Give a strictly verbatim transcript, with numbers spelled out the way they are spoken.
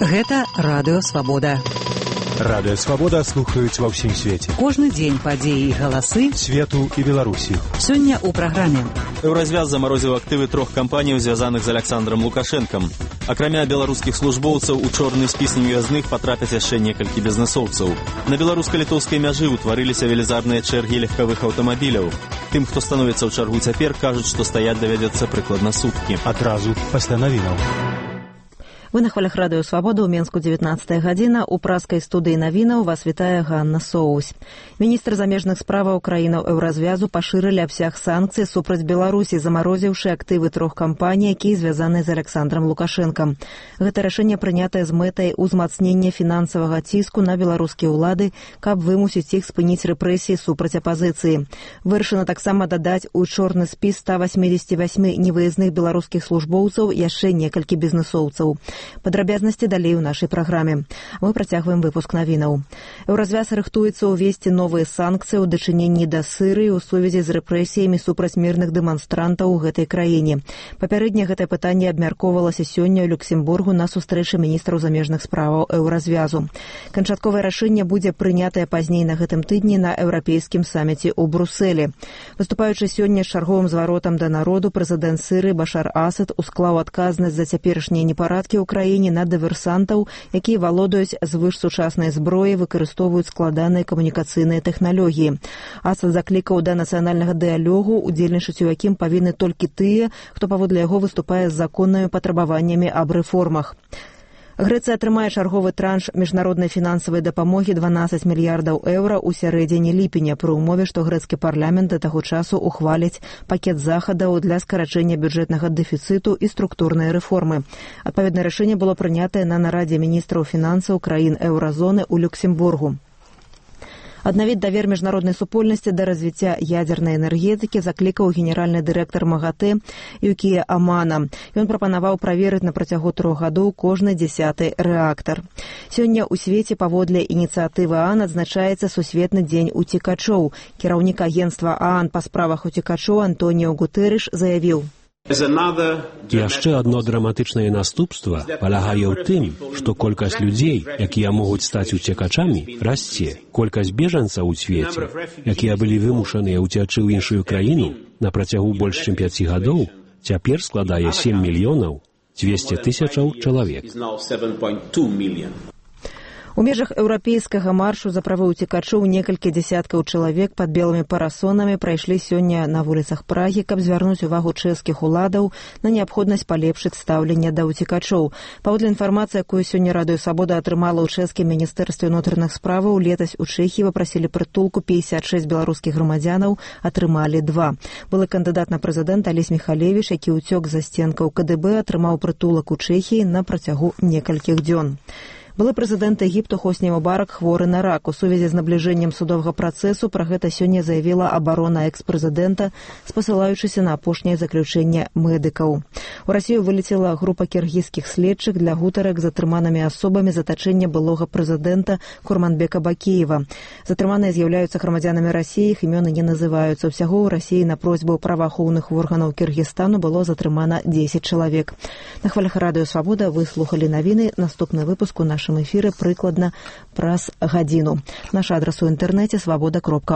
Гэта Радыё Свабода. Радыё Свабода слухаюць ва ўсім свеце. Кожны дзень падзеі і галасы свету і Беларусі. Сёння ў праграме. Еўразвяз замарозіў актывы трох кампаній, звязаных з Аляксандрам Лукашэнкам. Акрамя беларускіх службоўцаў, у чорны спіс невязных потрапяць яшчэ некалькі бізнэсоўцаў. На беларуска-літоўскай мяжы ўтварыліся велізарныя чэргі легкавых аўтамабіляў. Тым, хто становіцца ў чаргу цяпер, кажуць, што стаяць давядзецца прыкладна суткі. Адразу пасля навінаў. Вы на хвалях Радыё Свабода, ў Менску дзевятнаццатая гадзіна. У праскай студыі навінаў вас вітае Ганна Соусь. Міністр замежных справаў краінаў Еўразвязу пашырылі абсяг санкцый супраць Беларусі, замарозіўшы актывы трох кампаній, якія звязаны з Аляксандрам Лукашэнкам. Гэта рашэнне прынятае з мэтай узмацнення фінансавага ціску на беларускія ўлады, каб вымусіць іх спыніць рэпрэсіі супраць апазіцыі. Вырашана таксама дадаць у чорны спіс ста васьмідзесят васьм невыязных беларускіх службоўцаў яшчэ некалькі бізнэсоўцаў. Падрабязнасці далей у нашай праграме. Мы працягваем выпуск навінаў. Еўразвяз рыхтуецца ўвесці новыя санкцыі ў дачыненні да Сырыі ў сувязі з рэпрэсіямі супраць мірных дэманстрантаў у гэтай краіне. Папярэдне гэтае пытанне абмяркоўвалася сёння ў Люксембургу на сустрэчы міністраў замежных справаў Еўразвязу. Канчатковае рашэнне будзе прынятае пазней на гэтым тыдні на еўрапейскім саміце ў Брусэлі. Выступаючы сёння з чарговым зваротам да народу, прэзідэнт Сырыі Башар Асад усклаў адказнасць за цяперашнія непарадкі ў краіне на дыверсантаў, якія валодаюць звышсучаснай зброі, выкарыстоўваюць складаныя камунікацыйныя тэхналогіі. Асад заклікаў да нацыянальнага дыялогу, удзельнічаць у якім павінны толькі тыя, хто паводле яго выступае з законнымі патрабаваннямі аб рэформах. Грэцыя атрымае чарговы транш міжнароднай фінансавай дапамогі дванаццаць мільярдаў еўра ў сярэдзіне ліпеня, пры ўмове, што грэцкі парламент да таго часу ухваліць пакет захадаў для скарачэння бюджэтнага дэфіцыту і структурнай рэформы. Адпаведнае рашэнне было прынятае на нарадзе міністраў фінансаў краін еўразоны ў Люксембургу. Аднавіць давер міжнароднай супольнасці да развіцця ядзернай энергетыкі заклікаў генеральны дырэктар МАГАТЭ Юкія Амана. Ён прапанаваў праверыць на працягу трох гадоў кожны дзясяты рэактар. Сёння ў свеце паводле ініцыятывы ААН адзначаецца сусветны дзень уцекачоў. Кіраўнік агенцтва ААН па справах уцекачоў Антоніо Гутэрыш заявіў: Яшчэ адно драматычнае наступства палягае ў тым, што колькасць людзей, якія могуць стаць уцекачамі, расце. Колькасць бежанцаў у свеце, якія былі вымушаныя ўцячы ў іншую краіну на працягу больш чым пяці гадоў, цяпер складае сем мільёнаў дзвесце тысячаў чалавек. У межах еўрапейскага маршу за правы ўцекачоў некалькі дзясяткаў чалавек пад белымі парасонамі прайшлі сёння на вуліцах Прагі, каб звярнуць увагу чэшскіх уладаў на неабходнасць палепшыць стаўленне да ўцекачоў. Паводле інфармацыі, якую сёння Радыё Свабода атрымала ў чэшскім міністэрстве ўнутраных справаў, летась у Чэхіі папрасілі прытулку пятьдесят шесть беларускіх грамадзянаў, атрымалі два. Былы кандыдат на прэзідэнта Алесь Міхалевіч, які ўцёк за сценкаў КДБ, атрымаў прытулак у Чэхіі на працягу некалькіх дзён. Былы прэзідэнт Егіпту Хосні Мубарак хворы на рак. У сувязі з набліжэннем судовага працэсу пра гэта сёння заявіла абарона экс-прэзідэнта, спасылаючыся на апошняе заключэнне медыкаў. У Расію вылецела група кіргізскіх следчых для гутарак з затрыманымі асобамі затачэння былога прэзідэнта Курманбека Бакеева. Затрыманыя з'яўляюцца грамадзянамі Расіі, іх імёны не называюцца. Усяго ў Расіі на просьбу праваахоўных органаў Кіргізстану было затрымана дзесяць чалавек. На хвалях Радыё Свабода вы слухалі навіны. Наступны выпуск у нашым эфіры прыкладна праз гадзіну. Наш адрас у інтэрнэце свабода кропка